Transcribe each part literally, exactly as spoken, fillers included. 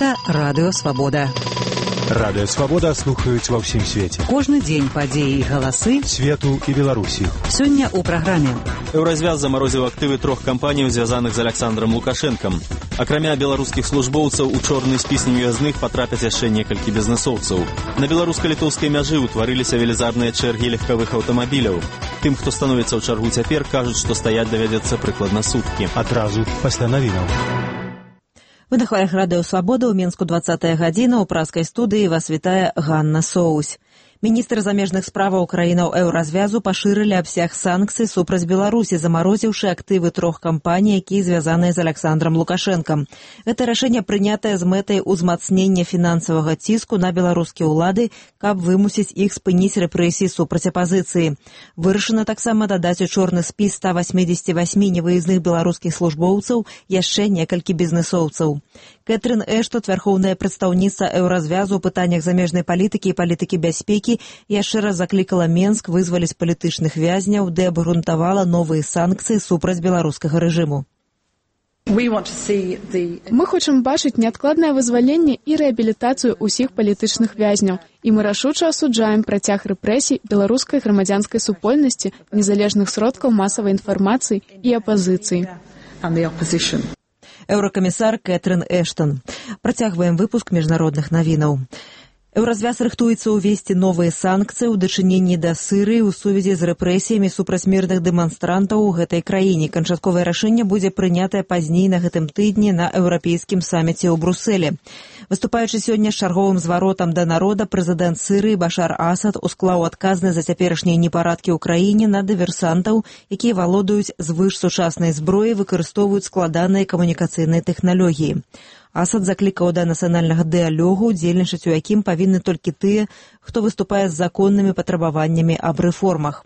Гэта Радыё Свабода. Радыё Свабода слухаюць ва ўсім свеце. Кожны дзень падзеі і галасы свету і Беларусі. Сёння ў праграме. Еўразвяз замарозіў актывы трох кампаній, звязаных з Александром Лукашэнкам. Акрамя беларускіх службоўцаў, у чорны спіс невыязных патрапяць яшчэ некалькі бізнэсоўцаў. На беларуска-літоўскай мяжы ўтварыліся велізарныя чэргі легкавых аўтамабіляў. Тым, хто становіцца ў чаргу цяпер, кажуць, што стаяць давядзецца прыкладна суткі. Адразу пасля навінаў. Вы на хвалях Радыё Свабода, ў Мінску двадцатая гадзіна, у праскай студыі вас вітае Ганна Соусь. Міністр замежных справаў краінаў еўразвязу пашырылі абсяг санкцый супраць Беларусі, замарозіўшы актывы трох кампаній, якія звязаныя з Александром Лукашэнкам. Гэта рашэнне прынятае з мэтай узмацнення фінансавага ціску на беларускія ўлады, каб вымусіць іх спыніць рэпрэсіі супраць апазіцыі. Вырашана таксама дадаць у чорны спіс ста васьмідзесяці васьмі невыязных беларускіх службоўцаў яшчэ некалькі бізнэсоўцаў. Кэтрын Эштон, вярхоўная прадстаўніца еўразвязу ў пытаннях замежнай палітыкі і палітыкі бяспекі, яшчэ раз заклікала Менск вызваліць палітычных вязняў, ды абгрунтавала новыя санкцыі супраць беларускага рэжыму. Мы хочам бачыць неадкладнае вызваленне і рэабілітацыю ўсіх палітычных вязняў, і мы рашуча асуджаем працяг рэпрэсій беларускай грамадзянскай супольнасці, незалежных сродкаў масавай інфармацыі і апазіцыі. Еўракамісар Кэтрын Эштон. Працягваем выпуск міжнародных навінаў. Еўразвяз рыхтуецца ўвесці новыя санкцыі ў дачыненні да Сірыі ў сувязі з рэпрэсіямі супраць мірных дэманстрантаў у гэтай краіне. Канчатковае рашэнне будзе прынятае пазней на гэтым тыдні на еўрапейскім саміце ў Брусэлі. Выступаючы сёння з чарговым зваротам да народа, прэзідэнт Сірыі Башар Асад усклаў адказнасць за цяперашнія непарадкі ў краіне на дыверсантаў, якія валодаюць звышсучаснай зброяй, выкарыстоўваюць складаныя камунікацыйныя тэхналогіі. Асад заклікаў да нацыянальнага дыялогу, удзельнічаць у якім павінны толькі тыя, хто выступае з законнымі патрабаваннямі аб рэформах.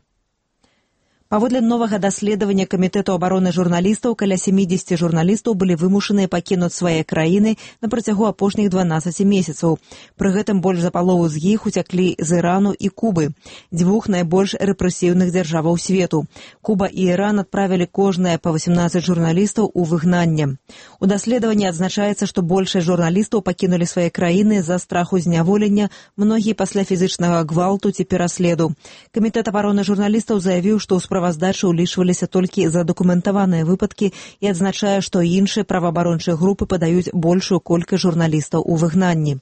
Паводле новага даследавання Камітэту абароны журналістаў, каля сямідзесяці журналістаў былі вымушаныя пакінуць свае краіны на працягу апошніх дванаццаці месяцаў. Пры гэтым больш за палову з іх уцяклі з Ірану і Кубы, дзвюх найбольш рэпрэсіўных дзяржаваў свету. Куба і Іран адправілі кожнае па васемнаццаць журналістаў у выгнанне. У даследаванні адзначаецца, што большасць журналістаў пакінулі свае краіны з-за страху зняволення, многія пасля фізічнага гвалту ці пераследу. Камітэт абароны журналістаў заявіў, што ў справаздачы ўлічваліся толькі задакументаваныя выпадкі і адзначае, што іншыя праваабарончыя групы падаюць большую колькасць журналістаў у выгнанні.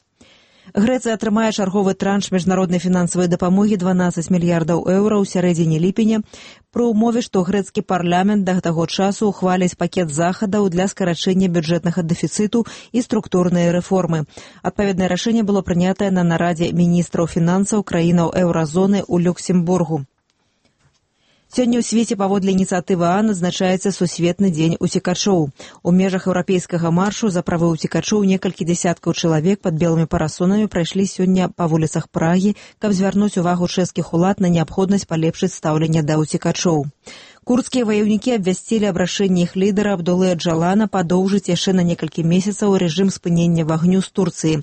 Грэцыя атрымае чарговы транш міжнароднай фінансавай дапамогі дванаццаць мільярдаў еўра ў сярэдзіне ліпеня, пры ўмове, што грэцкі парламент да таго часу ухваліць пакет захадаў для скарачэння бюджэтнага дэфіцыту і структурныя рэформы. Адпаведнае рашэнне было прынятае на нарадзе міністраў фінансаў краінаў еўразоны ў Люксембургу. Сёння ў свеце паводле ініцыятывы ААН адзначаецца сусветны дзень уцекачоў. У межах еўрапейскага маршу за правы уцекачоў некалькі дзясяткаў чалавек пад белымі парасонамі прайшлі сёння па вуліцах Прагі, каб звярнуць увагу чэшскіх улад на неабходнасць палепшыць стаўленне да уцекачоў. Курдскія ваяўнікі абвясцілі аб рашэнні іх лідара Абдулы Аджалана падоўжыць яшчэ на некалькі месяцаў рэжым спынення вагню з Турцыі.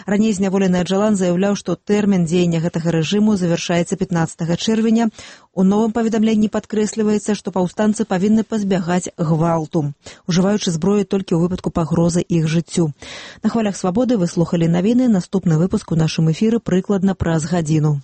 Раней зняволены Аджалан заяўляў, што тэрмін дзеяння гэтага рэжыму завяршаецца пятнаццатага чэрвеня. У новым паведамленні падкрэсліваецца, што паўстанцы павінны пазбягаць гвалту, ужываючы зброю толькі ў выпадку пагрозы іх жыццю. На хвалях Свабоды вы слухалі навіны. Наступны выпуск у нашым эфіры прыкладна праз гадзіну.